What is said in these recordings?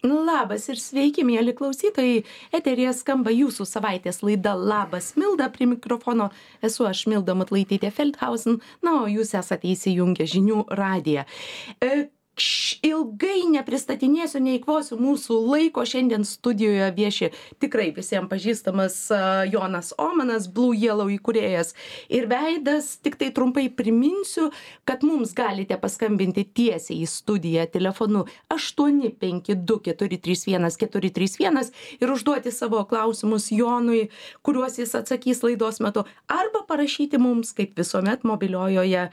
Labas ir sveiki, mėly klausytojai. Eteryje skamba jūsų savaitės laida Labas Milda. Prie mikrofono esu aš Milda Matlaitytė Feldhausen. Na, o jūs esate įsijungę žinių radiją. Ilgai nepristatinėsiu, neįkvosiu mūsų laiko. Šiandien studijoje vieši tikrai visiems pažįstamas Jonas Omanas, Blue Yellow įkūrėjas ir veidas. Tik tai trumpai priminsiu, kad mums galite paskambinti tiesiai į studiją telefonu 852-431-431 ir užduoti savo klausimus Jonui, kuriuos jis atsakys laidos metu, arba parašyti mums, kaip visuomet, mobiliojoje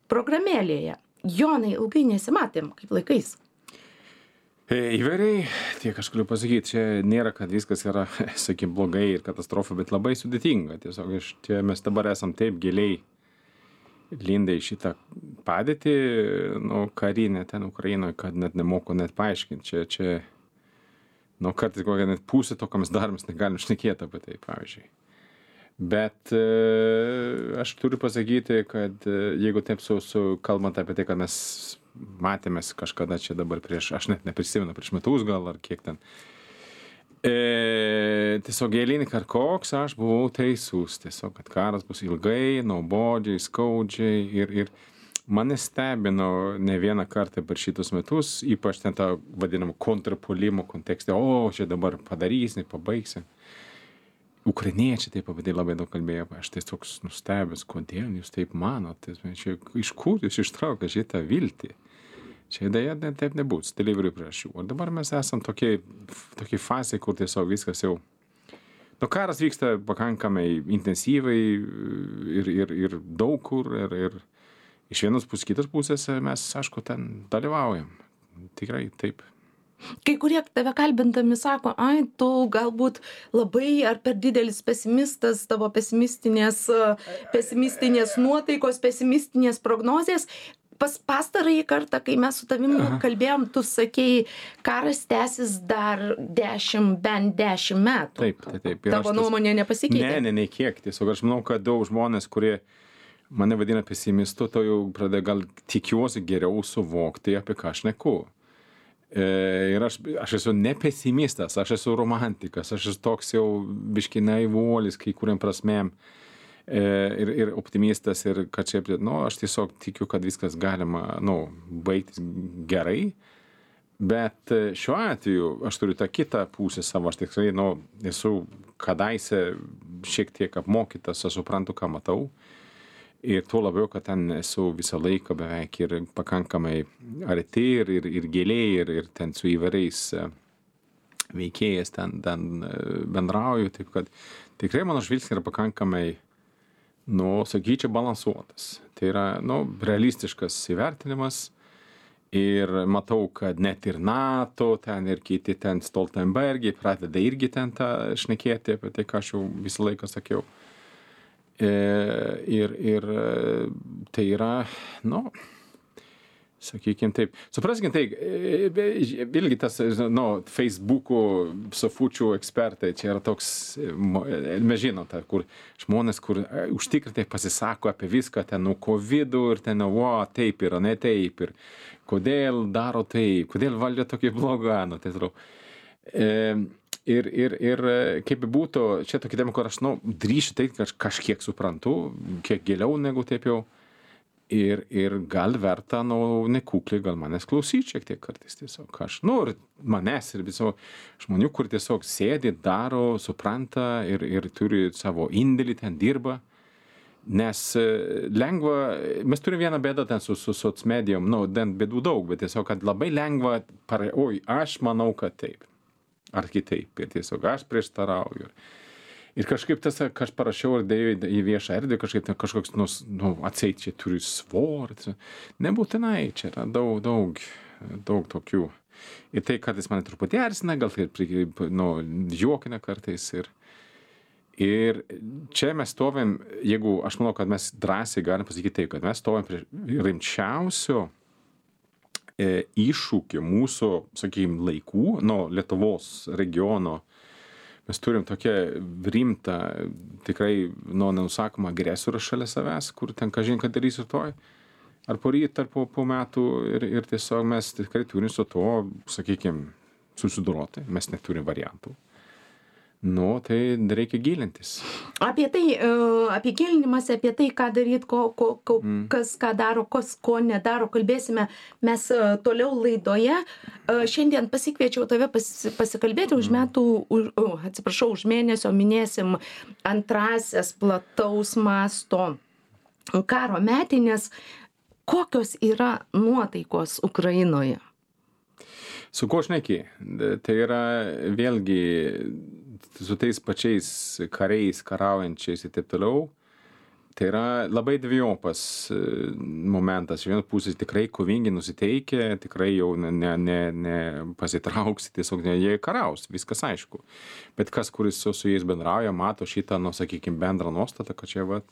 programėlėje. Jonai, ilgai nesimatėm, kaip laikais. Įvairiai, tiek aš galiu pasakyti, čia nėra, kad viskas yra, sakykim, blogai ir katastrofa, bet labai sudėtinga. Tiesiog mes dabar esam taip giliai lindę į šitą padėtį, karinę ten Ukrainoje, kad net nemoku net paaiškinti. Čia kartais kokią net pusę to, ką mes darom, mes negalim šnekėti apie tai, pavyzdžiui. Bet aš turiu pasakyti, kad jeigu taip kalbant apie tai, kad mes matėmės kažkada čia dabar aš net neprisimenu, prieš metus gal ar kiek ten, tiesiog eilinį kartą koks aš buvau teisus, tiesiog, kad karas bus ilgai, nuobodžiai, skaudžiai ir mane stebino ne vieną kartą per šitus metus, ypač ten tą vadinamą kontrpuolimo kontekste, čia dabar padarysim, pabaigsim. Ukrainiečiai taip apie tai labai daug kalbėjo, aš tiesiog nustebęs, kodėl jūs taip manote, iš kur jūs ištraukia šitą viltį. Čia dėja taip nebus, dėl įvairių priežasčių. O dabar mes esam tokiai fazė, kur tiesiog viskas jau... Karas vyksta pakankamai intensyvai ir daug kur, ir iš vienos pusės, kitos pusės mes, aišku, ten dalyvaujam. Tikrai taip. Kai kurie tave kalbindami sako, tu galbūt labai ar per didelis pesimistas, tavo pesimistinės nuotaikos, pesimistinės prognozės. Pastarąjį kartą, kai mes su tavim kalbėjom, tu sakei, karas tęsis dar bent 10 metų. Taip. Tavo nuomonė nepasikeitė? Ne, kiek. Tiesiog aš manau, kad daug žmonės, kurie mane vadina pesimistu, to jau pradėjo gal tikiuosi geriau suvokti, apie ką aš šneku. Ir aš esu ne pesimistas, aš esu romantikas, aš esu toks jau biški naivuolis kai kuriam prasmėm ir optimistas ir kad čia, aš tiesiog tikiu, kad viskas galima, baigtis gerai, bet šiuo atveju aš turiu tą kitą pusę savo, aš tikrai, esu kadaise šiek tiek apmokytas, aš suprantu, ką matau. Ir tuo labiau, kad ten esu visą laiką beveik ir pakankamai arti ir giliai ir ten su įvairiais veikėjas ten bendrauju, taip kad tikrai mano žvilgsnis yra pakankamai, sakyčiau, balansuotas. Tai yra, realistiškas įvertinimas ir matau, kad net ir NATO ten ir kiti ten Stoltenbergiai pradeda irgi ten tą šnekėti apie tai, ką aš jau visą laiką sakiau. Ir tai yra, sakykime taip, supraskime taip, vėlgi tas, Facebook'ų sofučių ekspertai, čia yra toks, mes žinom, kur žmonės, kur užtikrintai pasisako apie viską, ten nuo COVID-ų ir ten, taip yra, ne taip, ir kodėl daro taip, kodėl valdžia tokia bloga, tai atrodo. Ir kaip būtų, čia tokia tema, kur aš, drįšiu tai, kad kažkiek suprantu, kiek giliau negu taip jau, ir gal verta, nekukliai, gal manęs klausyti šiek tiek kartais tiesiog. Ir manęs ir visų žmonių, kur tiesiog sėdi, daro, supranta ir turi savo indėlį, ten dirba. Nes lengva, mes turime vieną bėdą ten su socmedijom, ten bėdų daug, bet tiesiog, kad labai lengva, aš manau, kad taip. Ar kitaip, ir tiesiog aš prieštarauju. Ir kažkaip tas, ką aš parašiau ir dėjau į viešą erdvę, kažkoks, atseit čia turi svorį. Nebūtinai, čia yra daug tokių. Ir tai kartais mane truputį erzina, gal tai juokina kartais. Ir čia mes stovim, jeigu aš manau, kad mes drąsiai galim pasakyti taip, kad mes stovim prie rimčiausio iššūkį mūsų, sakykime, laikų, Lietuvos regiono. Mes turim tokią rimtą, tikrai, nenusakomą agresorių šalia savęs, kur ten kažin ką darys rytoj, ar poryt, ar po metų, ir tiesiog mes tikrai turim su to, sakykime, susidoroti, mes neturim variantų. Nu, tai reikia gilintis. Apie gilinimąsi, apie tai, ką daryti, kas ką daro, kas ko nedaro, kalbėsime mes toliau laidoje. Šiandien pasikviečiau tave pasikalbėti už mėnesio minėsim antrasias plataus masto karo metinės. Kokios yra nuotaikos Ukrainoje? Su kuo šneki? Tai yra vėlgi su tais pačiais kariais, karaujančiais ir taip toliau. Tai yra labai dviejopas momentas. Iš vienos pusės tikrai kovingi nusiteikę, tikrai jau ne pasitrauks, tiesiog jie karaus, viskas aišku. Bet kas, kuris su jais bendrauja, mato šitą, sakykime, bendrą nuostatą, kad čia vat.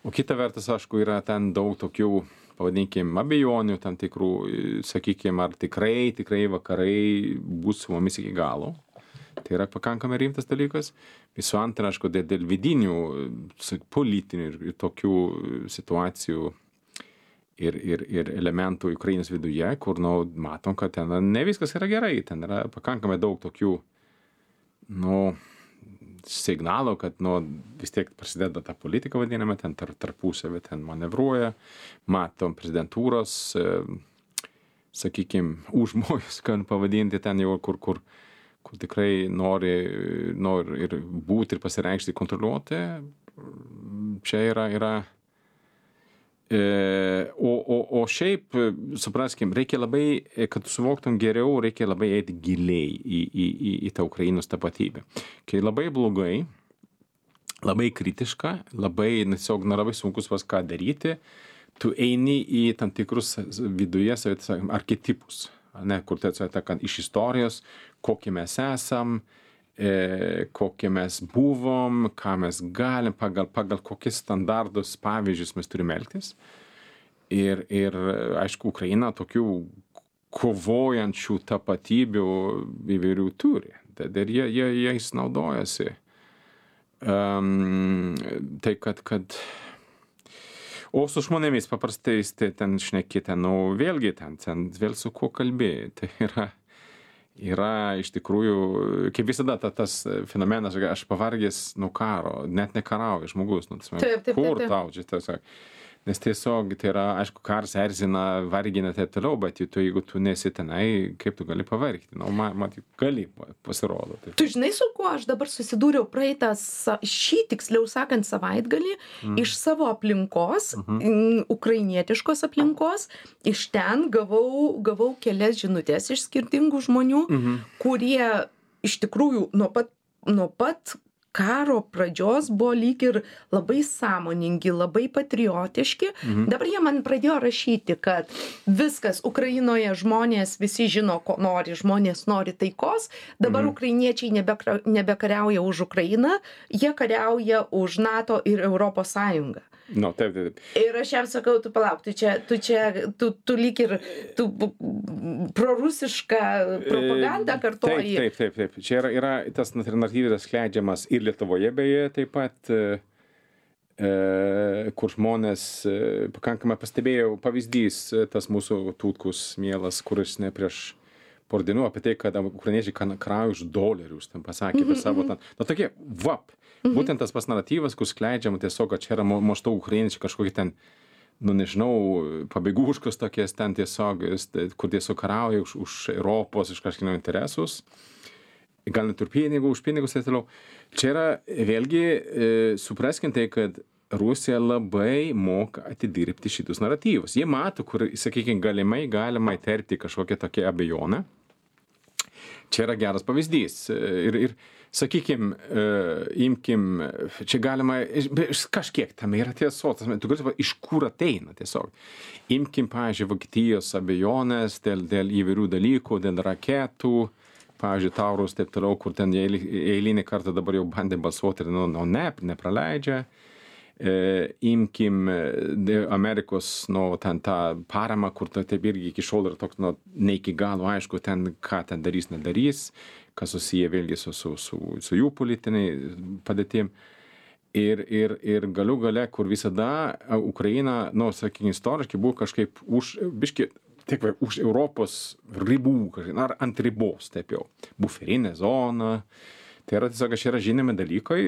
O kita vertus, aišku, yra ten daug tokių, pavadinkim, abejonių tam tikrų, sakykim, ar tikrai vakarai bus su mumis iki galo. Tai yra pakankamai rimtas dalykas. Visų antra, aišku, dėl vidinių, politinių ir tokių situacijų ir elementų Ukrainos viduje, kur, matom, kad ten ne viskas yra gerai. Ten yra pakankamai daug tokių, signalų, kad, vis tiek prasideda ta politika vadinama, ten tarpusavį ten manevruoja, matom prezidentūros, sakykim, užmojus, kad pavadinti ten jau, kur tikrai nori ir būti ir pasireikšti, kontroliuoti. Čia yra. O šiaip, supraskim, reikia labai, kad suvoktum geriau, reikia labai eiti giliai į tą Ukrainos tapatybę. Kai labai blogai, labai kritiška, labai sunkus ką daryti, tu eini į tam tikrus viduje archetipus, kur kad iš istorijos, kokie mes esam, kokie mes buvom, ką mes galim, pagal kokius standartus, pavyzdžius mes turime elgtis. Ir aišku, Ukraina tokių kovojančių tapatybių įvairių turi. Ir jais naudojasi. Tai kad o su žmonėmis paprastai ten šnekite, vėlgi ten vėl su kuo kalbėjai. Tai yra iš tikrųjų, kaip visada tas fenomenas, aš pavargęs nuo karo, net nekarauja žmogus. Kur tau čia tiesiog? Nes tiesiog tai yra, aišku, karas erzina, vargina taip toliau, bet jeigu tu nesi tenai, kaip tu gali pavargti? Matyt, gali pasirodo. Taip. Tu žinai, su kuo aš dabar susidūriau šį, tiksliau sakant, savaitgalį, iš savo aplinkos, ukrainietiškos aplinkos, iš ten gavau kelias žinutės iš skirtingų žmonių, kurie iš tikrųjų nuo pat karo pradžios buvo lyg ir labai sąmoningi, labai patriotiški. Dabar jie man pradėjo rašyti, kad viskas Ukrainoje, žmonės visi žino, ko nori, žmonės nori taikos. Dabar ukrainiečiai nebekariauja už Ukrainą, jie kariauja už NATO ir Europos Sąjungą. Taip. Ir aš jam sakau, tu palauk, tu lyg ir prorusišką propagandą kartoji. Taip. Čia yra tas alternatyvas skleidžiamas ir Lietuvoje beje taip pat, kur žmonės pakankamai pastebėjau pavyzdys, tas mūsų Tutkus mielas, kuris ne prieš porą dienų apie tai, kad ukrainiečiai karauja už dolerius, ten pasakė apie savo ten. Tokie, būtent tas pas naratyvas, kur skleidžiama tiesiog, kad čia yra maždaug ukrainiečiai kažkokie ten, nežinau, pabėgūškos tokies ten tiesiog, kur tiesiog karauja už Europos, iš kažkieno interesus. Gal net ir už pinigus ir toliau. Čia yra vėlgi supraskim tai, kad Rusija labai moka atidirbti šitus naratyvus. Jie mato, kur, sakykime, galima įterpti kažkokią tokią abejonę. Čia yra geras pavyzdys. Ir sakykim, imkim, čia galima, kažkiek tame yra tiesos, tu gali, iš kur ateina tiesiog. Imkim, pavyzdžiui, Vokietijos abejonės dėl įvairių dalykų, dėl raketų, pavyzdžiui, Taurus, taip toliau, kur ten eilinį kartą dabar jau bandė balsuoti ir nepraleidžia. Imkim Amerikos, ten tą paramą, kur taip irgi iki šiol yra toks, ne iki galo aišku, ten, ką ten darys, nedarys, kas susiję vėlgi su jų politiniai padėtim. Ir galiu gale, kur visada Ukraina, sakykime, istoriškai buvo kažkaip biški tik už Europos ribų, ar ant ribos, taip jau, buferinė zona. Tai yra tiesiog, yra žinomi dalykai,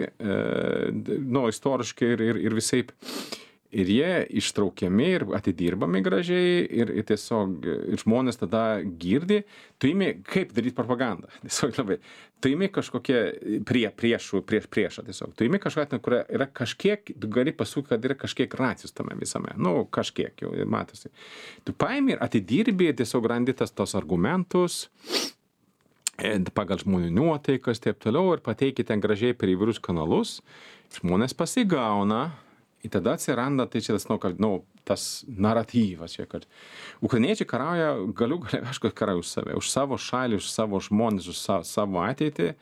istoriškai ir visaip. Ir jie ištraukiami ir atidirbami gražiai ir tiesiog žmonės tada girdi, tu imi kaip daryti propagandą. Tiesiog labai. Tu imi kažkokie priešą tiesiog. Tu imi kažkokią, kur yra kažkiek, tu gali pasukti, kad yra kažkiek racijos tame visame. Kažkiek jau matosi. Tu paimi ir atidirbi, tiesiog randi tos argumentus pagal žmonių nuotaikas, taip toliau, ir pateiki ten gražiai per įvairius kanalus. Žmonės pasigauna. Ir tada atsiranda, tai čia tas naratyvas, kad ukrainiečiai karauja, aišku, karauja už save, už savo šalį, už savo žmonės, už savo ateitį.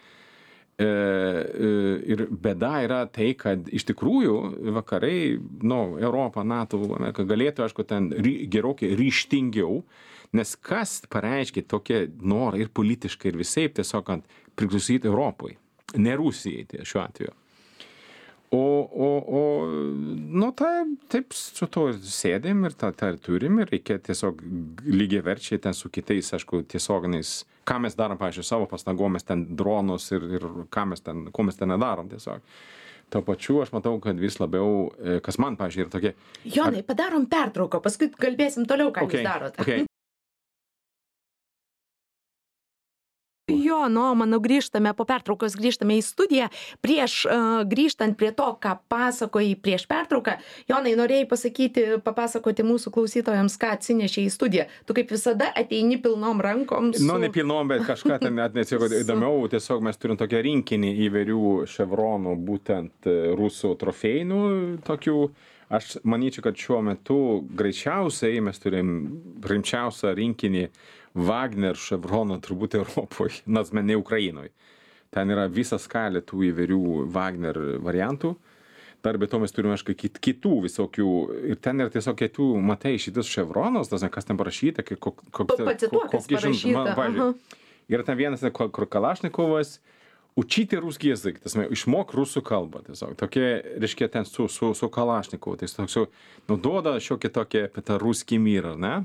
Ir bėda yra tai, kad iš tikrųjų vakarai, Europa, NATO, Amerika galėtų, aišku, ten gerokai ryžtingiau, nes kas pareiškia tokie norai ir politiškai ir visaip tiesiog priklausyti Europai, ne Rusijai šiuo atveju. Taip su to sėdėm ir tą turim ir reikia tiesiog lygiaverčiai ten su kitais, aišku, tiesioginiais, ką mes darom, pavyzdžiui, savo pastangom, mes ten dronus ir ko mes ten nedarom tiesiog. Tuo pačiu aš matau, kad vis labiau, kas man, pavyzdžiui, yra tokie... Jonai, padarom pertrauką, paskui kalbėsim toliau, ką jūs darote. Okay. Manau, po pertraukos grįžtame į studiją. Prieš grįžtant prie to, ką pasakojai prieš pertrauką, Jonai, norėjai papasakoti mūsų klausytojams, ką atsinešė į studiją. Tu kaip visada ateini pilnom rankom. Ne pilnom, bet kažką ten atnešė įdomiau. Tiesiog mes turim tokią rinkinį įvairių ševronų, būtent rusų trofėjų tokių. Aš manyčiau, kad šiuo metu greičiausiai mes turim rimčiausią rinkinį Wagner ševroną turbūt Europoje, nors ne Ukrainoje. Ten yra visa skalė tų įvairių Wagner variantų. Dar be to mes turime kitų visokių. Ir ten yra tiesiog kitų, matai, šitas ševronas, kas ten parašyta. Pacituok, kas parašyta. Yra ten vienas, kur Kalašnikovas, učyti ruskį язык, išmok rusų kalbą. Tiesiog. Tokie, reiškia, ten su Kalašnikovu. Tai toks duoda šiokį tokį apie tą ruskį myrą, ne?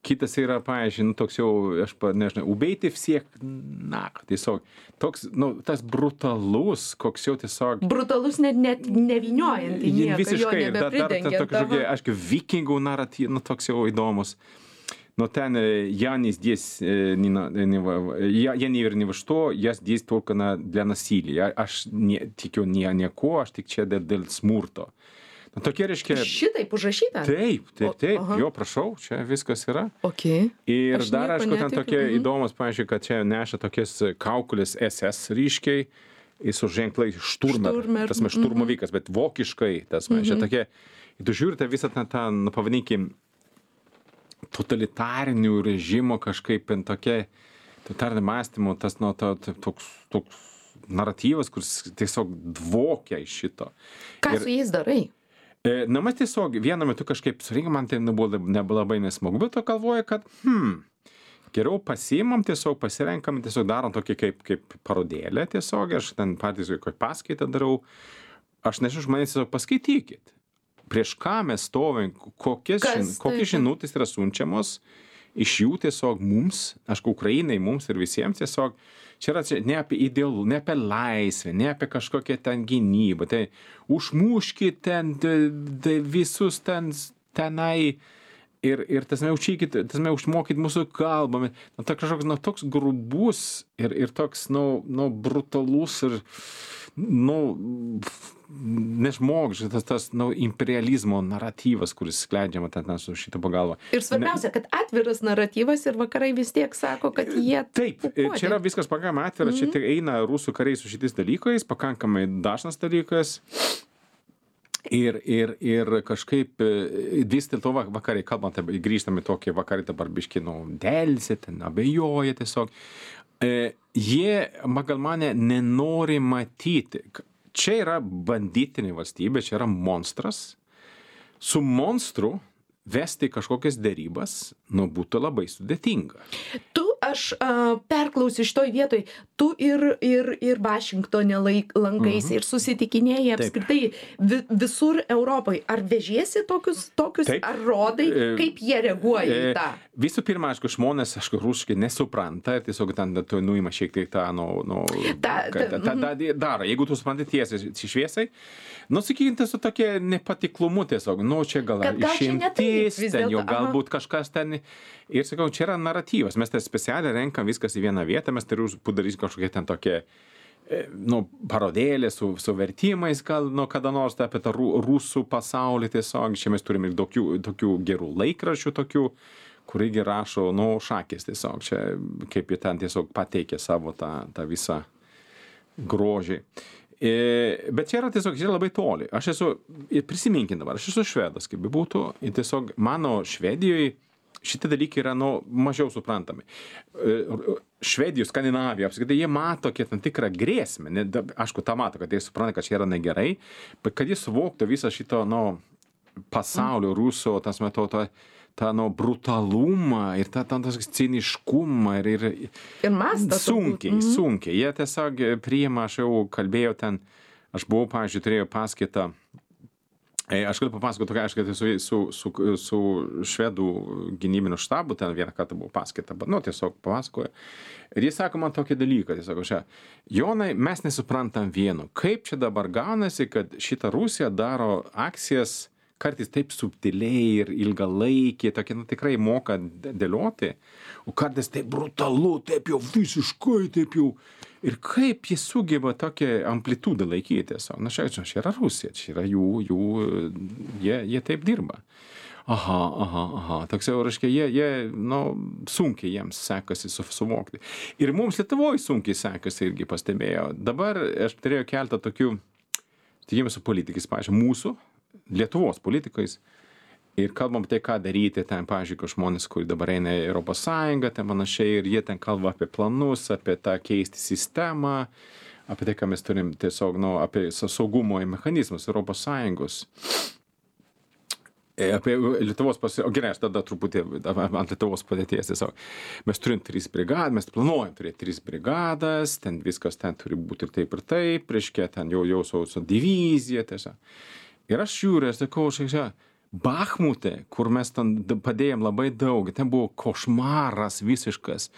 Kitas yra, pavyzdžiui, toks jau, aš nežinau, ubejti всех нахуй. Tiesiog, toks, tas brutalus, koks jau tiesiog... Brutalus net nevyniojant į nieką, visiškai, jo nebepridengiant. Tokie, aišku, vikingų naratyvas, toks jau įdomus. Ten я не здесь, я не верю ни во что, я здесь только для насилия. Aš tikiu nieko, aš tik čia dėl smurto. Tokie, reiškia... Šitaip užrašyta? Taip, jo, prašau, čia viskas yra. Okay. Ir dar, aišku, ten tokie įdomus, pavyzdžiui, kad čia neša tokias kaukulės SS ryškiai, su ženklai Šturmer, tasme šturmovikas, bet vokiškai, tasme, čia tokie, tu žiūrite visą tą, pavadinkim, totalitarinių režimo kažkaip tokie, totalitarinio mąstymo, tas toks naratyvas, kuris tiesiog dvokia iš šito. Ką su jais darai? Mes tiesiog vienu metu kažkaip surinkom, man tai nebuvo labai nesmagu, bet to galvoju, kad geriau pasiimam, tiesiog pasirenkam, tiesiog darom tokį kaip parodėlę tiesiog, aš ten patys kokį paskaitą darau, aš nežinau, žmonės tiesiog paskaitykit, prieš ką mes stovim, kokie žinutės yra siunčiamos, iš jų tiesiog mums, aišku, Ukrainai, mums ir visiems tiesiog, čia yra ne apie idealų, ne apie laisvę, ne apie kažkokią ten gynybą, tai užmuškit ten visus tenai ir užmokyt mūsų kalbą. Toks grubus ir toks, brutalus ir, nežmogžiškas tas imperializmo naratyvas, kuris skleidžiama ten su šitą pagalbą. Ir svarbiausia, kad atviras naratyvas ir vakarai vis tiek sako, kad jie... Taip, čia yra viskas pakankamai atviras, čia eina rusų kariai su šitais dalykais, pakankamai dažnas dalykas. Ir kažkaip vis dėl to vakarai, kalbant, grįžtame tokie vakarai dabar biški, delsė, ten abejoja tiesiog. Jie, pagal mane, nenori matyti. Čia yra banditinė valstybė, čia yra monstras. Su monstru vesti kažkokias derybas, būtų labai sudėtinga. Tu aš perklausiu šitoj vietoj, tu ir Vašingtone lankaisi ir susitikinėjai apskritai visur Europoje. Ar vežiesi tokius ar rodai, kaip jie reaguoja į tą? Visų pirma, aišku, žmonės, rusiškai nesupranta ir tiesiog ten nuima šiek tiek tą, daro. Jeigu tu supranti tiesiai šviesai, sakykime, tai su tokia nepatiklumu tiesiog, čia gal išimtis, ten jau galbūt kažkas ten. Ir sakau, čia yra naratyvas, mes tai specialiai renkam viskas į vieną vietą, mes tai padarysime kažkokie ten tokie, parodėlė su vertimais, gal kada nors apie tą rusų pasaulį tiesiog, čia mes turime ir tokių gerų laikraščių tokių, kur irgi rašo, šakės tiesiog, čia kaip jie ten tiesiog pateikė savo tą visą grožį. Bet čia yra tiesiog, čia labai toli. Aš esu, prisiminkim dabar, aš esu švedas, kaip būtų, ir tiesiog mano Švedijoje šitie dalykai yra, mažiau suprantami. Švedijos, Skandinavija, apskritai, jie mato tam tikrą grėsmę. Aišku, tą mato, kad jie supranta, kad čia yra negerai, bet kad jie suvoktų visą šito, pasaulio rusų, tas metodo, tą brutalumą ir tą ciniškumą ir mastą sunkiai. Jie tiesiog priima, aš jau kalbėjau ten, aš buvau, pavyzdžiui, turėjau paskaitą, aš galiu papasakoti tokia, aišku, su švedų gynybiniu štabu, ten vieną kartą buvo paskaita, bet, tiesiog papasakoja. Ir jis sako man tokį dalyką, jis sako, Jonai, mes nesuprantam vieno, kaip čia dabar gaunasi, kad šita Rusija daro akcijas kartais taip subtiliai ir ilgalaikiai, tokie, tikrai moka dėlioti, o kartais taip brutalu, taip jau visiškai, taip jau. Ir kaip jie sugeba tokią amplitudą laikyti tiesiog. Čia yra Rusija, čia yra jie taip dirba. Aha. Toks jau, reiškia, jie sunkiai jiems sekasi suvokti. Ir mums Lietuvoje sunkiai sekasi irgi pastebėjo. Dabar aš turėjau keletą tokių, tikėjome su politikais, pavyzdžiui, mūsų, Lietuvos politikais, ir kalbam tai, ką daryti ten, pavyzdžiui, žmonės, kurie dabar eina į Europos Sąjungą, ten panašiai, ir jie ten kalba apie planus, apie tą keisti sistemą, apie tai, ką mes turim tiesiog, apie saugumo mechanizmus Europos Sąjungos. Apie Lietuvos gerai, aš tada truputį ant Lietuvos padėties tiesiog. Mes turim 3 brigadas, mes planuojam turėti 3 brigadas, ten viskas ten turi būti ir taip, reiškia, ten jau su divizija tiesiog. Ir aš žiūriu, aš sakau, Bachmute, kur mes ten padėjom labai daug, ten buvo košmaras visiškas.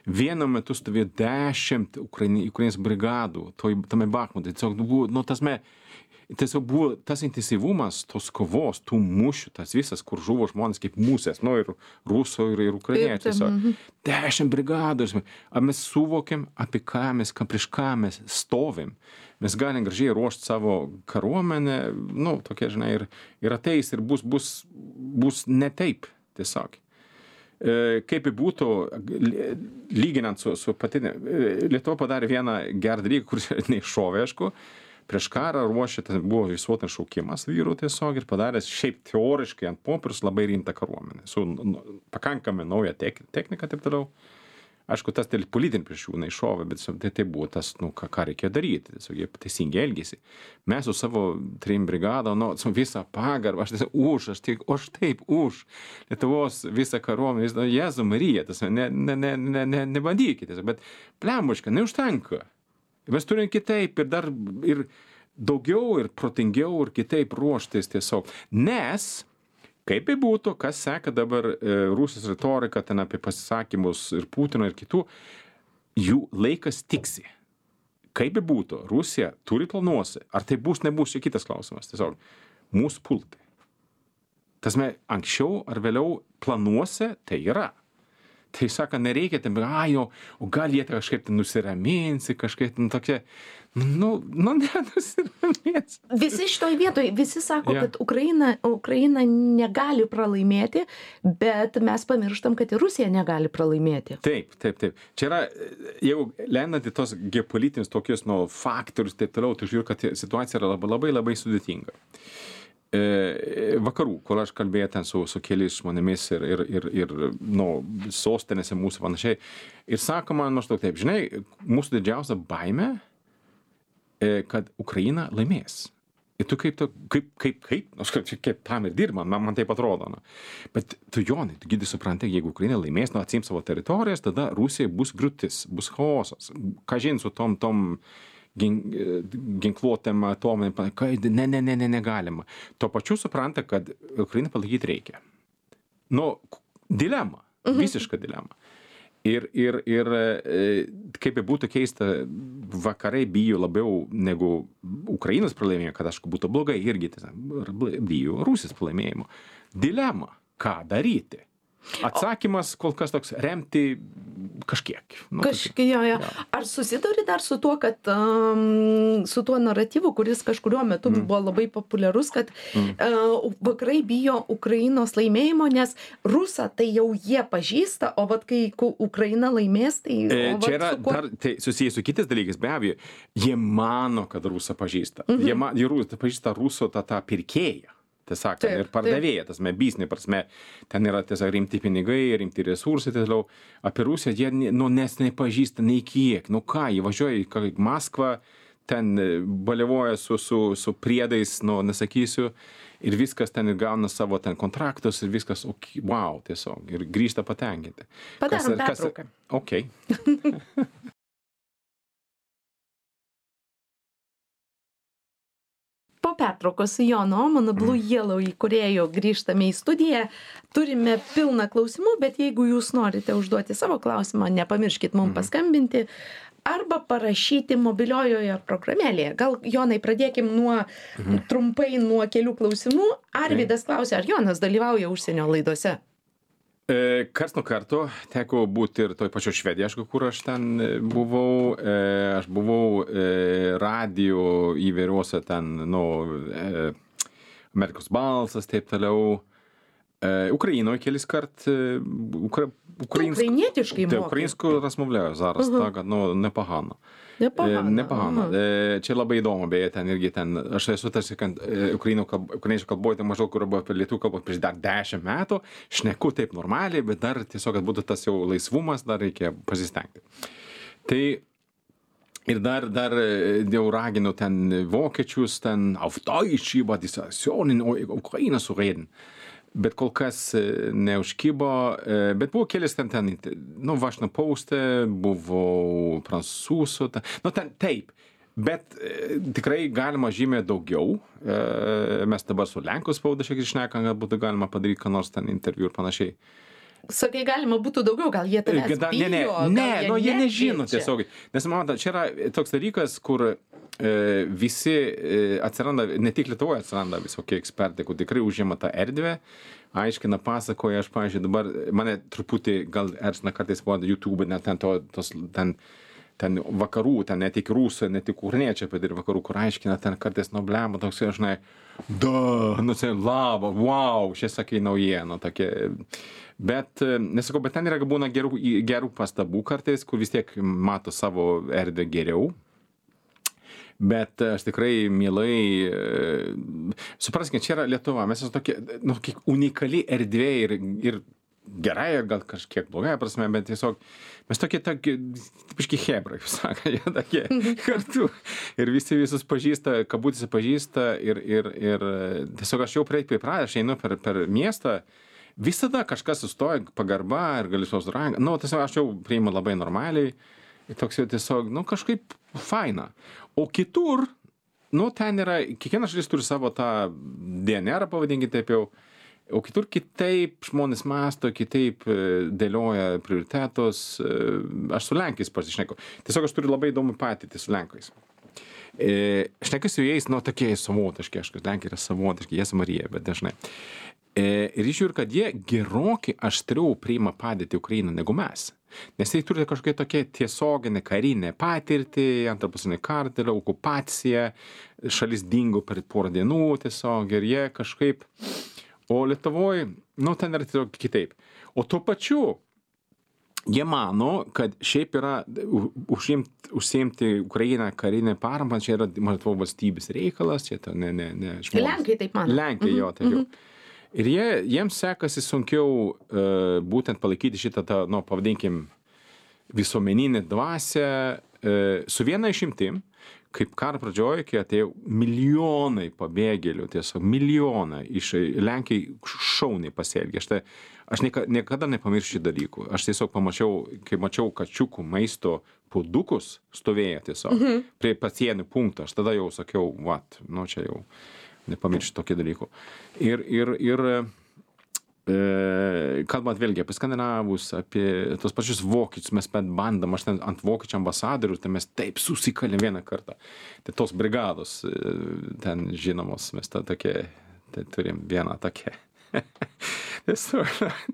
Vienu metu stovėjo 10 Ukrainos brigadų, tame Bachmute. Tiesiog buvo tas intensyvumas, tos kovos, tų mūšių, tas visas, kur žuvo žmonės kaip musės, ir rusų, ir ukrainiečių. 10 brigadų. Ar mes suvokiam, prieš ką mes stovim. Mes galim gražiai ruošti savo karuomenę, tokia, ir ateis, ir bus ne taip, tiesiog. Kaip būtų, lyginant su patinė, Lietuva padarė vieną gerą dalyką, kuris neiššovė, aišku, prieš karą ruošė, buvo visuotinis šaukimas vyrų tiesiog ir padaręs šiaip teoriškai ant popieriaus labai rimtą karuomenę, su pakankamai nauja technika, taip toliau. Aišku, tas politinį prieš jų neiššovė, bet tai buvo tas, ką reikėjo daryti, tiesiog jie teisingai elgėsi. Mes su savo 3 brigadom, su visą pagarbą, aš taip už Lietuvos visą karuomenę, Jėzų Mariją, nebandykite, bet plembuška, neužtenka. Mes turim kitaip ir dar ir daugiau ir protingiau ir kitaip ruoštis tiesiog. Nes, kaip būtų, kas seka dabar Rusijos retorika ten apie pasisakymus ir Putino ir kitų, jų laikas tiksi. Kaip būtų, Rusija turi planuosi. Ar tai bus, nebus, čia kitas klausimas. Tiesiog, mūsų pultai. Tasme, anksčiau ar vėliau planuose tai yra. Tai sako, nereikia, o gal jie kažkaip nusiraminsi, kažkaip tokie, nenusiramins. Visi šitoj vietoj, visi sako, kad Ukraina negali pralaimėti, bet mes pamirštam, kad ir Rusija negali pralaimėti. Taip. Čia yra, jeigu lendant į tos geopolitinius tokius faktorius, taip toliau, tai žiūrėjau, kad situacija yra labai, labai sudėtinga. Vakarų, kur aš kalbėjau ten su keliais žmonėmis ir sostinėse mūsų panašiai. Ir sako man maždaug taip, žinai, mūsų didžiausia baimė, kad Ukraina laimės. Ir tu kaip, kaip tam ir dirba, man taip atrodo. Na. Bet tu, Jonai, tu gydai supranti, jeigu Ukraina laimės, atsiims savo teritorijas, tada Rusijai bus griūtis, bus chaosas. Ką žin su tom ginkluotėm atominėm, negalima. Tuo pačiu supranta, kad Ukrainą palaikyti reikia. Dilema, visiška dilema. Ir kaip būtų keista, vakarai bijo labiau negu Ukrainos pralaimėjimo, kad aišku būtų blogai, irgi bijo Rusijos pralaimėjimo. Dilema, ką daryti? Atsakymas kol kas toks remti kažkiek. Jo. Ar susiduri dar su tuo, kad su tuo naratyvu, kuris kažkuriuo metu buvo labai populiarus, kad vakarai bijo Ukrainos laimėjimo, nes Rusą tai jau jie pažįsta, o vat kai Ukraina laimės, tai... Čia yra dar tai susijęs su kitais dalykais, be abejo. Jie mano, kad Rusą pažįsta. Jie pažįsta Ruso tą pirkėją. Tiesiog, ir pardavėja, tasme, biznį prasme, ten yra tiesiog rimti pinigai, rimti resursai, tiesiog, apie Rusiją jie, nes nepažįsta nei kiek, ką, jie važiuoja į Maskvą, ten baliavoja su priedais, nesakysiu, ir viskas ten ir gauna savo ten kontraktus, ir viskas, wow, tiesiog, ir grįžta patenkinti. Padarom pertrauką. Okay. Po pertraukos su Jonu Omanu, Blue Yellow įkūrėju, grįžtame į studiją. Turime pilną klausimų, bet jeigu jūs norite užduoti savo klausimą, nepamirškit mums paskambinti arba parašyti mobiliojoje programėlėje. Gal, Jonai, pradėkim trumpai nuo kelių klausimų. Arvydas klausia, ar Jonas dalyvauja užsienio laidose? Karts nuo karto teko būti ir toj pačioj Švedijoj, aišku, kur aš ten buvau. Aš buvau radio įvairiuose ten, Amerikos balsas, taip toliau. Ukrainoje kelis kart. Ukrainietiškai mokai? Українську розмовляю зараз, так, непогано. Непогано. Čia labai įdomu, beje, ten irgi ten, aš esu tarsi, kad ukrainiečių kalboje, tai maždaug, kur buvo apie lietuvių kalbą prieš dar 10 metų, šneku taip normaliai, bet dar tiesiog, kad būtų tas jau laisvumas, dar reikia pasistengti. Tai ir dar jau raginu ten vokiečius, ten auf Deutsch über die Situation in Ukraine zu reden. Bet kol kas neužkibo, bet buvo kelis ten, Washington Post, buvo prancūzų, ten taip, bet tikrai galima žymiai daugiau. Mes dabar su Lenkų spauda šiek tiek šnekam, kad būtų galima padaryti, ką nors ten interviu ir panašiai. Sakai, galima būtų daugiau, gal jie tavęs bijo? Jie nežino tiesiog. Nes man, čia yra toks dalykas, kur visi atsiranda, ne tik Lietuvoje atsiranda visokie ekspertai, kur tikrai užima tą erdvę, aiškina, pasakoja, aš, pavyzdžiui, dabar mane truputį gal erzina kartais buvo YouTube, net ten vakarų, ten ne tik rusų, ne tik ukrainiečiai, bet ir vakarų, kur aiškina, ten kartais blema, toks, žinai, laba, wow, šie sakai naujienų, tokie. Bet, nesakau, bet ten yra būna gerų pastabų kartais, kur vis tiek mato savo erdvę geriau. Bet aš tikrai mielai, supraskime, čia yra Lietuva, mes esame tokie, unikali erdvė ir gerai, gal kažkiek blogai prasme, bet tiesiog mes tokie tipiški hebrai, sako, jie tokie kartu. Ir visi visus pažįsta, kabutėse pažįsta ir tiesiog aš jau pripratęs, aš einu per miestą, visada kažkas sustoja, pagarba ir gali susirangą. Tiesiog aš jau priimu labai normaliai. Toks jau tiesiog, kažkaip faina. O kitur, ten yra, kiekviena šalis turi savo tą DNR, pavadinkite taip jau, o kitur kitaip žmonės mąsto, kitaip dėlioja prioritetus. Aš su Lenkais pasišneku. Tiesiog aš turiu labai įdomų patirtį su Lenkais. Šnekas su jais, tokie savotiški, Lenkai yra savotiški, jie Marija, bet dažnai. Ir žiūriu, kad jie gerokai aštriau priima padėtį Ukrainą negu mes. Nes jie turi kažkokią tokią tiesioginę karinę patirtį, antrą pasaulinį karą, okupaciją, šalis dingo per porą dienų tiesiog ir jie kažkaip, o Lietuvoje, ten yra tiesiog kitaip. O tuo pačiu, jie mano, kad šiaip yra užsiimti Ukrainą karinę paramą, čia yra Lietuvos valstybės reikalas, čia ne žmonės. Lenkai taip mano. Lenkai, jo, taip jau. Ir jiems sekasi sunkiau būtent palaikyti šitą, pavadinkim, visuomeninę dvasią su viena išimtim, kaip karo pradžioje, kai atėjo milijonai pabėgėlių, tiesiog milijonai iš Lenkijai šauniai pasielgė. Aš niekada nepamiršiu dalykų. Aš tiesiog pamačiau, kai mačiau kačiukų maisto puodukus stovėję tiesiog prie pasienio punkto, aš tada jau sakiau, čia jau nepamiršiu tokį dalykų. Ir kalbant vėlgi apie skandinavus, apie tos pačius vokiečius, mes bandom, aš ten ant vokiečių ambasadorių, tai mes taip susikalėm vieną kartą. Tai tos brigados ten žinomos, mes tai turim vieną tokią. Tiesiog,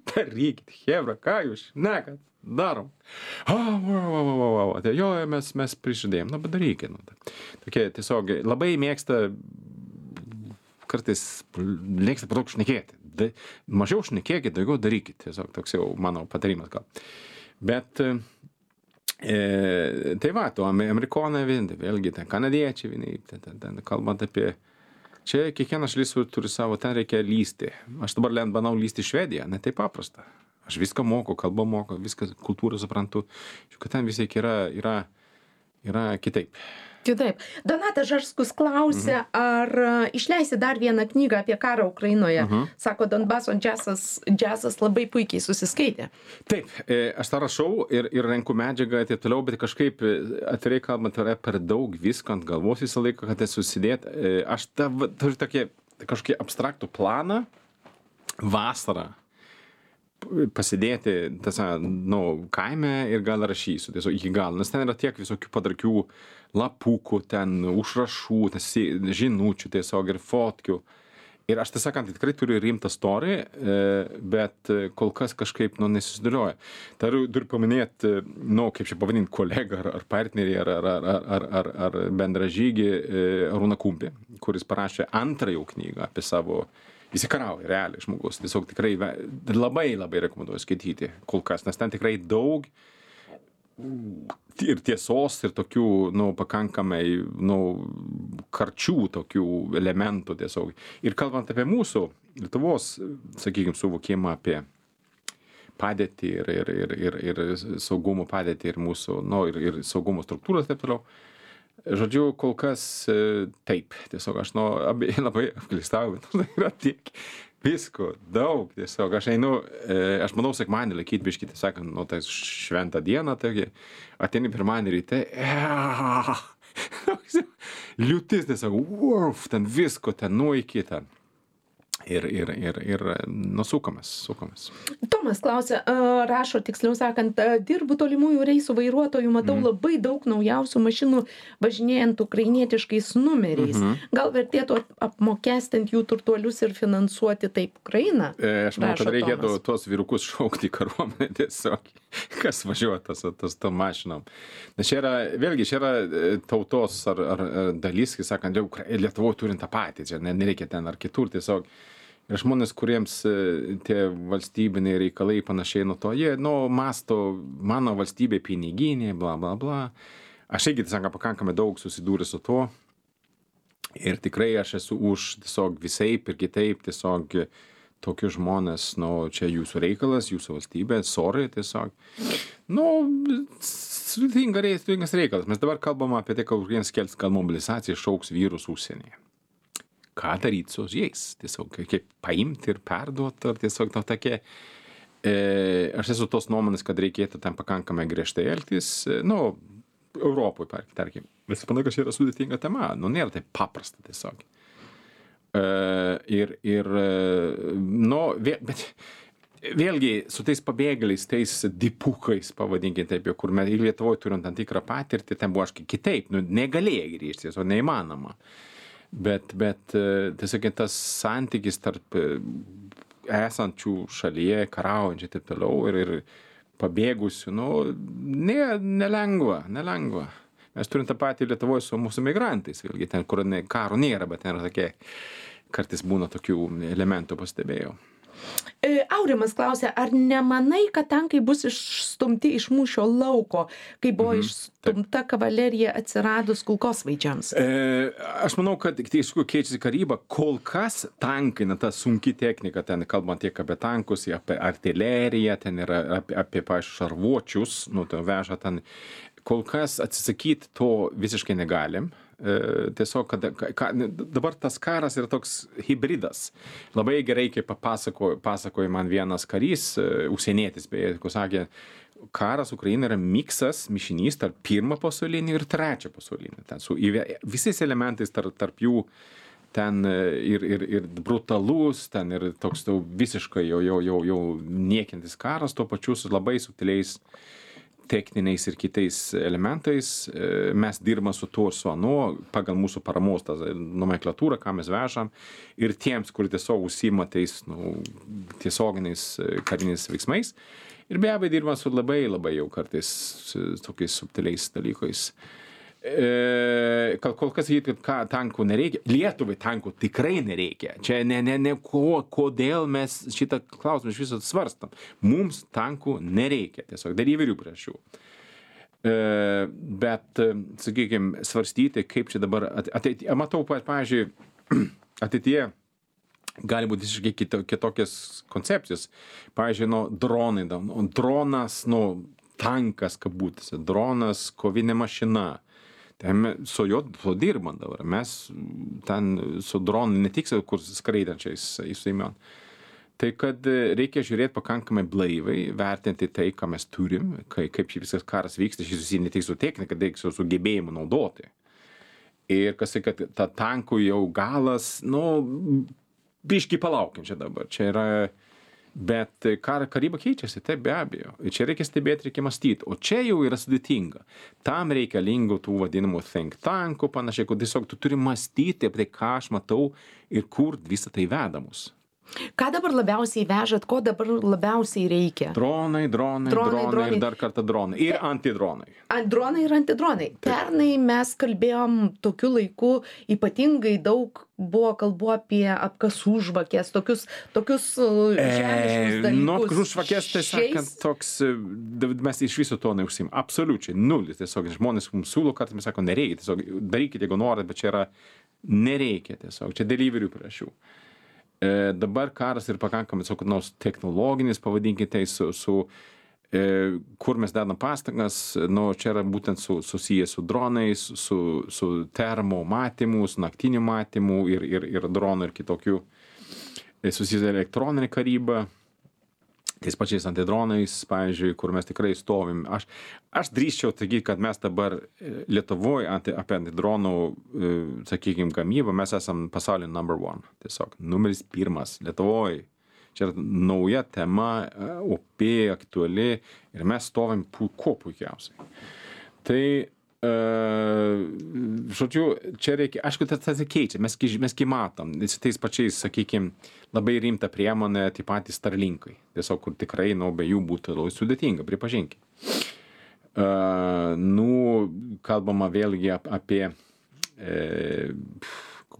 darykit, hebra, ką jūs šnekat, darom. Jo, mes prižadėjom, bet darykit. Tokie tiesiog labai mėgsta, kartais mėgsta per daug šnekėti. Mažiau šnekėkit, daugiau darykit. Tiesiog toks jau mano patarimas gal. Bet tai amerikonai vėlgi, ten kanadiečiai vieni, ten kalbant apie, čia kiekviena šalis turi savo, ten reikia lysti. Aš dabar bandau lysti į Švediją, ne taip paprasta. Aš viską moku, kalbą moku, viską kultūrą suprantu, kad ten vis tiek yra kitaip. Kitaip. Donatas Žarskus klausia, ar išleisi dar vieną knygą apie karą Ukrainoje. Sako, Donbaso džiazas labai puikiai susiskaitė. Taip, aš tą rašau ir renku medžiagą ir taip toliau, bet kažkaip atvirai kalbant, yra per daug visko ant galvos visą laiką, kad susidėt. Aš turiu kažkokį abstraktų planą vasarą pasidėti kaime ir gal rašysiu tiesiog iki galo, nes ten yra tiek visokių padarkių lapukų, ten užrašų, žinučių tiesiog ir fotkių. Ir aš tiesąkant, tikrai turiu rimtą storį, bet kol kas kažkaip nesusidėlioja. Turiu paminėti, kaip čia pavadinti, kolegą ar partnerį, ar bendražygį Arūną Kumpį, kuris parašė antrąją knygą apie savo įsikarauja realiai žmogus. Tiesiog tikrai labai rekomenduoju skaityti kol kas, nes ten tikrai daug ir tiesos, ir tokių, pakankamai, karčių tokių elementų tiesiog. Ir kalbant apie mūsų Lietuvos, sakykime, suvokimą apie padėtį ir saugumo padėtį ir mūsų, ir saugumo struktūros taip toliau. Žodžiu, kol kas taip, tiesiog aš labai apgalėstauju, bet yra tiek visko, daug tiesiog. Aš manau, sekmadienį laikyti biškį, sakant, tai šventą dieną, taigi ateini pirmadienį ryte, liūtis tiesiog, ten visko, ten iki ten. Ir sukamės. Tomas klausia, rašo, tiksliau sakant, dirbu tolimųjų reisų vairuotojų, matau labai daug naujausių mašinų važinėjant ukrainietiškais numeriais. Gal vertėtų apmokestinti jų turtuolius ir finansuoti taip Ukrainą? Aš manau, kad reikėtų tuos vyrukus šaukti į kariuomenę tiesiog, kas važiuoja tom mašinom. Nes čia yra tautos ar dalis, kai sakant, Lietuvoje turint tą patį, čia nereikia ten ar kitur tiesiog. Ir žmonės, kuriems tie valstybiniai reikalai panašiai nuo to, jie, masto mano valstybė piniginė, bla, bla, bla. Aš irgi, tiesiog, pakankamai daug susidūręs su to. Ir tikrai aš esu už tiesiog visaip ir kitaip tiesiog tokius žmonės, čia jūsų reikalas, jūsų valstybė, sorry tiesiog. Sudėtingas reikalas. Mes dabar kalbam apie tai, kad vienas kels, kad mobilizacija šauks vyrus užsienyje. Ką daryti su jais, tiesiog kaip paimti ir perduoti, ar tiesiog tokia, aš esu tos nuomonės, kad reikėtų ten pakankamai griežtai elgtis, Europoje, tarkim, bet manau, kad čia yra sudėtinga tema, nėra taip paprasta tiesiog. Bet vėlgi su tais pabėgėliais, tais dipukais, pavadinkime taip, kur mes Lietuvoje turim tam tikrą patirtį, ten buvo kitaip, negalėjai grįžti, tiesiog neįmanoma. Bet tiesiog tas santykis tarp esančių šalyje, karaujančių ir taip toliau ir pabėgusių, nelengva. Mes turim tą patį Lietuvoje su mūsų migrantais, vėlgi ten, kur karo nėra, bet ten yra tokie, kartais būna tokių elementų, pastebėjau. Aurimas klausia, ar nemanai, kad tankai bus išstumti iš mūšio lauko, kai buvo išstumta kavalerija atsiradus kulkosvaidžiams? Aš manau, kad keičiasi karyba. Kol kas tankai, ta sunki technika, ten kalbant tiek apie tankus, apie artileriją, ten yra apie šarvuočius, ten veža ten. Kol kas atsisakyti to visiškai negalim. Tiesiog, dabar tas karas yra toks hybridas. Labai gerai, kaip pasakojo man vienas karys, užsienietis, beje, kur sakė, karas Ukraina yra mišinys tarp pirmo pasaulinio ir trečio pasaulinio. Ten su visais elementais tarp jų ten ir brutalus, ten ir toks visiškai jau niekintis karas, tuo pačiu su labai subtiliais techniniais ir kitais elementais. Mes dirbame su tuo ir su anuo, pagal mūsų paramos nomenklatūrą, ką mes vežam, ir tiems, kur tiesiog užsiima tais tiesioginiais kariniais veiksmais. Ir be abejo dirbame su labai jau kartais tokiais subtiliais dalykais. Kol kas sakyti, kad tankų nereikia. Lietuvai tankų tikrai nereikia. Čia kodėl mes šitą klausimą iš viso svarstam. Mums tankų nereikia. Tiesiog dėl įvairių priežasčių. Bet, sakykime, svarstyti, kaip čia dabar ateityje. Matau, pavyzdžiui, ateityje gali būti visiškai kitokios koncepcijos. Pavyzdžiui, dronai. Dronas, tankas, kabutėse. Dronas, kovinė mašina. Ten su juo dirbam dabar. Mes ten su dronu ne tik kur skraidančiais įsiimėm. Tai kad reikia žiūrėti pakankamai blaivai, vertinti tai, ką mes turim, kaip šį visas karas vyksta, šis susiję ne tik su technika, bet su gebėjimu naudoti. Ir kas kad ta tankų jau galas, biškį palaukim čia dabar. Čia yra. Bet karyba keičiasi, taip be abejo. Ir čia reikia stebėti, reikia mąstyti. O čia jau yra sudėtinga. Tam reikalingų tų vadinamų think tankų, panašiai, kad tiesiog tu turi mąstyti apie tai, ką aš matau ir kur visą tai veda mus. Ką dabar labiausiai vežat, ko dabar labiausiai reikia? Dronai ir dar kartą dronai. Ir antidronai. Dronai ir antidronai. Pernai mes kalbėjom tokiu laiku, ypatingai daug buvo kalbu apie apkasų žvakės, tokius žemiškus dalykus. Apkasų žvakės, tai sakant, toks, mes iš viso to neužsim. Absoliučiai, nulis. Tiesiog žmonės mums siūlo, kad mes sako, nereikia. Tiesiog darykite, jeigu norit, bet čia yra nereikia tiesiog. Čia dėl įvairių priežasčių. Dabar karas ir pakankamai technologinis, pavadinkite, kur mes dedam pastangas, čia yra būtent susijęs su dronais, su termo matymu, su naktiniu matymu ir dronų ir kitokių susijęs elektroninė karyba, tais pačiais antidronais, pavyzdžiui, kur mes tikrai stovim. Aš drįsčiau sakyti, kad mes dabar Lietuvoje apie antidronų, sakykime, gamybą, mes esam pasaulio number one. Tiesiog, numeris 1 Lietuvoje. Čia yra nauja tema, opi, aktuali ir mes stovim kuo puikiausiai. Tai, žodžiu, čia reikia, aišku, tas keičia, mes matom, tais pačiais, sakykime, labai rimta priemonė, taip pat Starlinkai, tiesiog, kur tikrai, be jų būtų labai sudėtinga, pripažinkime. Kalbama vėlgi apie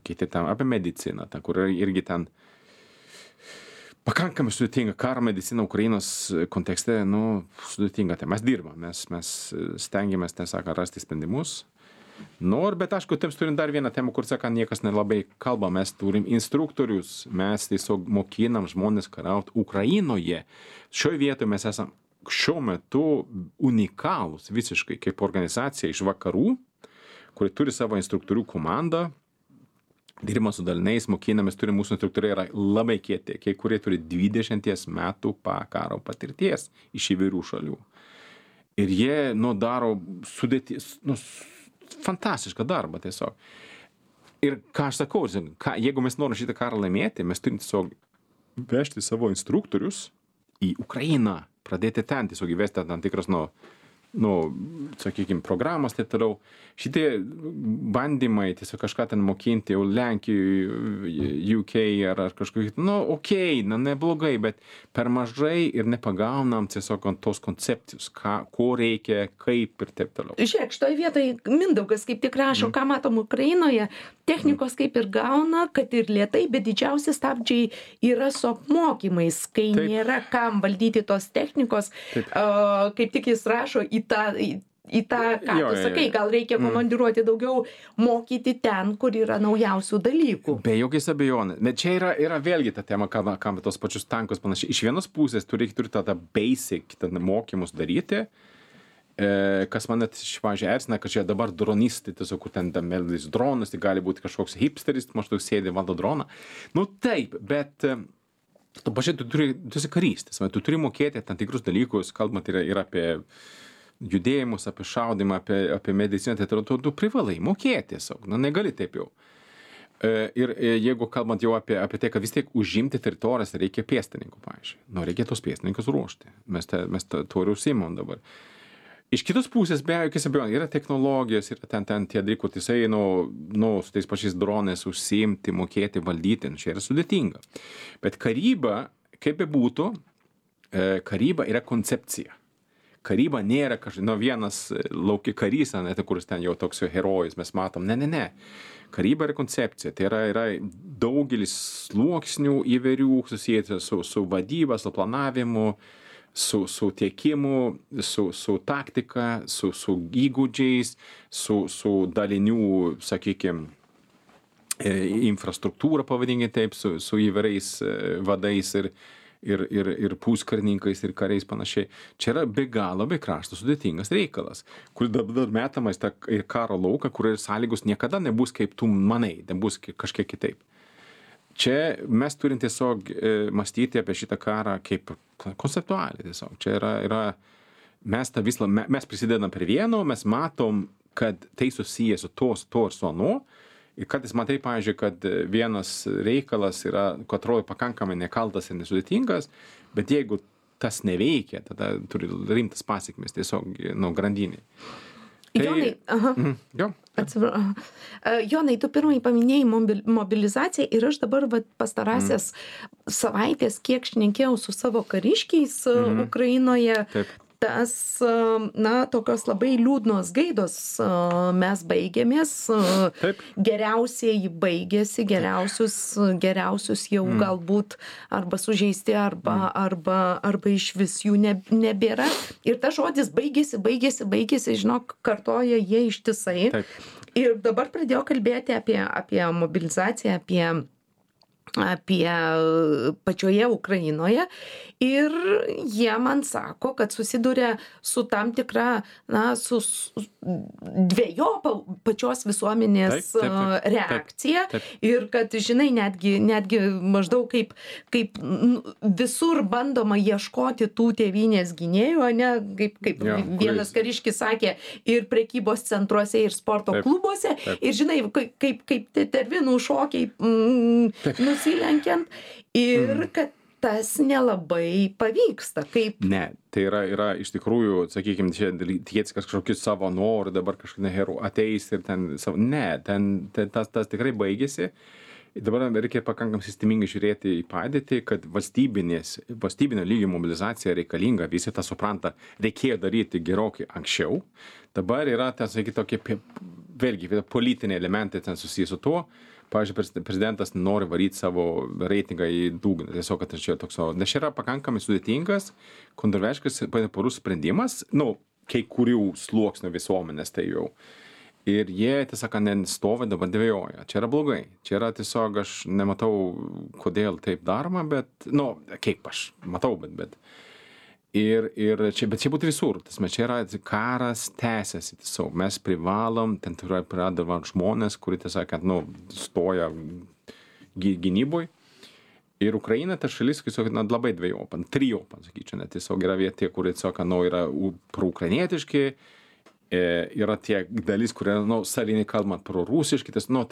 apie mediciną, kur irgi ten pakankamai sudėtinga, karo medicina Ukrainos kontekste, sudėtinga. Tai mes dirbam, mes stengiamės, rasti sprendimus. Bet aišku, taip turim dar vieną temą, kur sako, niekas nelabai kalba, mes turim instruktorius, mes tiesiog mokinam žmonės kariauti Ukrainoje. Šioje vietoje mes esam šiuo metu unikalūs visiškai kaip organizacija iš vakarų, kuri turi savo instruktorių komandą, dirba su daliniais, mokinamės, turi mūsų instruktoriai yra labai kieti, kai kurie turi 20 metų karo patirties iš įvairių šalių. Ir jie, daro fantastišką darbą tiesiog. Ir ką aš sakau, jeigu mes norime šitą karą laimėti, mes turim tiesiog vežti savo instruktorius į Ukrainą, pradėti ten tiesiog įvesti tam tikras, sakykime, programas, taip toliau. Šitie bandymai tiesiog kažką ten mokinti jau Lenkijoje, UK ar kažkokį, neblogai, bet per mažai ir nepagaunam tiesiog tos koncepcijos, ko reikia, kaip ir taip toliau. Žiūrėk, šitoje vietoje Mindaugas kaip tik rašo, ką matom Ukrainoje, technikos kaip ir gauna, kad ir lėtai, bet didžiausi stabdžiai yra su apmokymais, kai nėra kam valdyti tos technikos, kaip tik jis rašo į tą, ką tu sakai, gal reikia komandiruoti daugiau, mokyti ten, kur yra naujausių dalykų. Be jokios abejonės. Bet čia yra vėlgi ta tema, kam tos pačius tankus panašiai. Iš vienos pusės turi tą basic mokymus daryti, kas man net pavyzdžiui erzina, kad čia dabar dronistai, tiesiog kur ten meldys dronas, tai gali būti kažkoks hipsteris, maždaug sėdi valdo droną. Nu taip, bet tu pažiūrėjai, tu esi karys, tu turi mokėti tam tikrus dalykus, kalbant ir apie judėjimus, apie šaudimą, apie mediciną, tai tu privalai mokėti tiesiog, negali taip jau. Ir jeigu kalbant jau apie tai, kad vis tiek užimti teritorijas reikia pėstininkų, pavyzdžiui. Reikia tos pėstininkus ruošti. Mes to ir užsimam dabar. Iš kitos pusės, be jokios abejonės, yra technologijos, yra ten tie dalykai, kur jisai, su tais pačiais dronais užsiimti, mokėti, valdyti, čia yra sudėtinga. Bet karyba, kaip bebūtų, karyba yra koncepcija. Karyba nėra vienas lauki karys, kuris ten jau toks herojus, mes matom, ne. Karyba yra koncepcija, tai yra daugelis sluoksnių įvairių susijęs su vadyba, su planavimu, su tiekimu, su taktika, su įgūdžiais, su dalinių, sakykime, infrastruktūra, pavadinkime taip, su įvairiais vadais ir puskarininkais ir kariais panašiai. Čia yra be galo, be krašto sudėtingas reikalas, kur dabar metamas ir karo lauką, kur ir sąlygos niekada nebus kaip tu manai, nebus kažkiek kitaip. Čia mes turim tiesiog mąstyti apie šitą karą kaip konceptualiai tiesiog. Čia yra mes prisidedam prie vieno, mes matom, kad tai susiję su to ir su anu. Ir kartais matai, pavyzdžiui, kad vienas reikalas yra, kad atrodo pakankamai nekaltas ir nesudėtingas, bet jeigu tas neveikia, tada turi rimtas pasekmes tiesiog grandiniai. Jonai, Jonai, tu pirmai paminėjai mobilizaciją ir aš dabar pastarąsias savaitės, kiek šnekėjau su savo kariškiais Ukrainoje, tas, tokios labai liūdnos gaidos mes baigėmės, geriausiai baigėsi, geriausius jau galbūt arba sužeisti, arba išvis jų nebėra. Ir tas žodis baigėsi, žinok, kartoja jie ištisai. Ir dabar pradėjo kalbėti apie mobilizaciją, apie pačioje Ukrainoje ir jie man sako, kad susiduria su tam tikra, su dvejopa pačios visuomenės reakcija ir kad, žinai, netgi maždaug kaip visur bandoma ieškoti tų tėvynės gynėjų, ne, kaip vienas kariškis sakė, ir prekybos centruose, ir sporto klubuose, ir, žinai, kaip tervinų šokiai nusilenkiant ir kad tas nelabai pavyksta. Ne, tai yra iš tikrųjų, sakykime, čia tikėtis kažkokius savo norų, dabar kažkokie herų ateis ir ten savo. Ne, tas tikrai baigėsi. Dabar reikia pakankamai sistemingai žiūrėti į padėtį, kad valstybinio lygio mobilizacija reikalinga, visi tą supranta, reikėjo daryti gerokai anksčiau. Dabar yra, tokie, vėlgi, politiniai elementai ten susijęs su tuo. Pavyzdžiui, prezidentas nori varyti savo reitingą į dugną. Tiesiog, kad čia toks, nes čia yra pakankamai sudėtingas, kontroversiškas porus sprendimas, kai kurių sluoksnių visuomenės tai jau. Ir jie, tiesiog, nestovi dabar dvejoja. Čia yra blogai. Čia yra tiesiog, aš nematau, kodėl taip daroma, bet, kaip aš matau, bet. Bet čia būtų visur. Čia yra karas tęsiasi tiesiog. Mes privalom, ten pradeda žmonės, kurie tiesiog, stoja gynyboj. Ir Ukraina, ta šalis, tiesiog, labai dvejopa, trijopa, sakyčiau, net tiesiog yra vietė, kurie tiesiog, yra proukrainietiški, yra tie dalis, kurie, savinai kalbant prorusiški, tiesiog,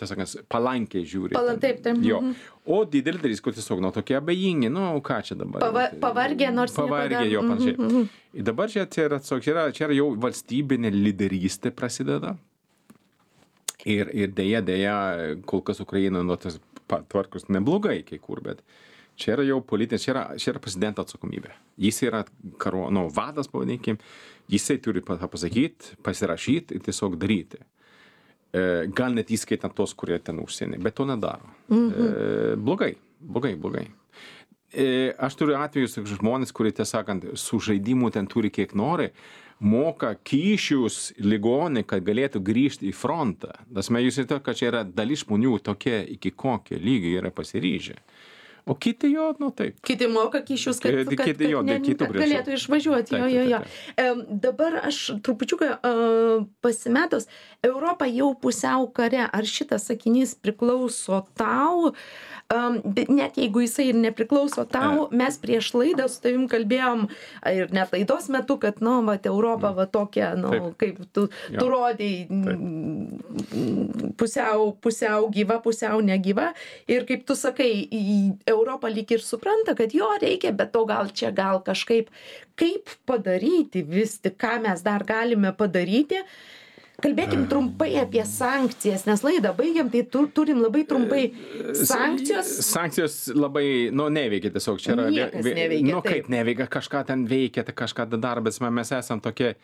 palankiai žiūri. Taip. Jo. O didelį dalis, kur tiesiog, tokie abejingi, ką čia dabar. Pavargė, nors pavargė, jo, panašiai. Ir dabar čia yra jau valstybinė lyderystė prasideda. Ir dėja, kol kas Ukraina, tas tvarkos neblogai kai kur, bet čia yra jau politinė, čia yra prezidento atsakomybė. Jis yra vadas, pavadinkim, jisai turi pasakyti, pasirašyti ir tiesiog daryti. Gal net įskaitant tos, kurie ten užsienį, bet to nedaro. Blogai. Aš turiu atvejus žmonės, kurie, tiesąkant, su žaidimu ten turi kiek nori, moka kyšius ligonį, kad galėtų grįžti į frontą. Jūs žinote, kad čia yra dalis žmonių tokie, iki kokio lygio yra pasiryžę. O kiti jo, nu taip. Kiti moka kyšius, kad galėtų išvažiuoti. Jo. Dabar aš trupučiuką pasimetus, Europa jau pusiau kare. Ar šitas sakinys priklauso tau? Net jeigu jisai ir nepriklauso tau, mes prieš laidą su tavim kalbėjom ir net laidos metu, kad, Europa tokia, kaip tu rodėjai, pusiau gyva, pusiau negyva. Ir kaip tu sakai, Europa lyg ir supranta, kad jo reikia, bet to gal kažkaip, kaip padaryti vis tik, ką mes dar galime padaryti. Kalbėkim trumpai apie sankcijas, nes laidą baigiam, tai turim labai trumpai sankcijos. Sankcijos labai, neveikia tiesiog. Čia yra, niekas neveikia. Kaip neveikia, kažką ten veikia, tai kažką daro, bet mes esam tokie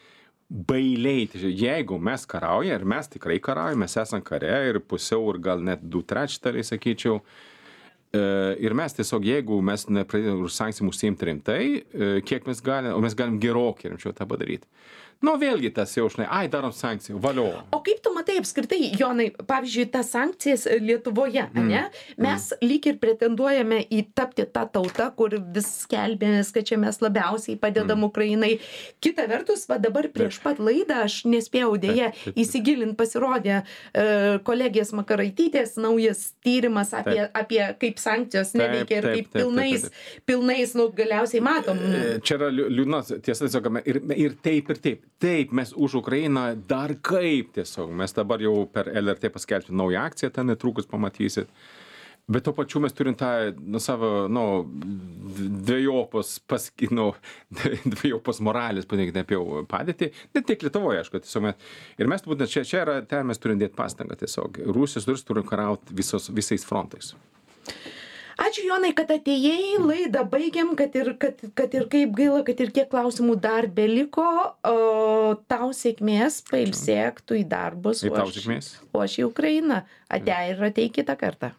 bailiai. Jeigu mes karaujame, ir mes tikrai karaujame, mes esam kare ir pusiau, ir gal net 2/3, sakyčiau. Ir mes tiesiog, jeigu mes nepradėjome už sankcijų užsiimti rimtai, kiek mes galime, o mes galim gerokai rimčiau tą padaryti. Vėlgi tas jau, darom sankcijų, valio. O kaip tu matai apskritai, Jonai, pavyzdžiui, tas sankcijas Lietuvoje, ne? Mes lyg ir pretenduojame į tapti tą tautą, kur vis skelbėmės, kad čia mes labiausiai padedam Ukrainai. Kita vertus, dabar prieš pat laidą, aš nespėjau dėja įsigilinti, pasirodė kolegės Makaraitytės naujas tyrimas apie kaip sankcijos neveikia ir kaip pilnais, galiausiai matom. Čia yra liūdnas, tiesa, tiesiog, ir taip. Taip, mes už Ukrainą dar kaip tiesiog. Mes dabar jau per LRT paskelbti naują akciją, ten netrukus pamatysit. Bet to pačiu mes turim tą savo, dvejopos moralės, paniekite apie padėtį. Ne tik Lietuvoje, aišku, tiesiog ir mes turbūt čia yra, ten mes turim dėti pastangą tiesiog. Rusijos durys turim karauti visais frontais. Ačiū, Jonai, kad atėjai, laidą baigiam, kad ir kaip gaila, kad ir kiek klausimų dar beliko, tau sėkmės, pailsėk tu į darbus, o aš į Ukrainą. Ate ir ateik kitą kartą.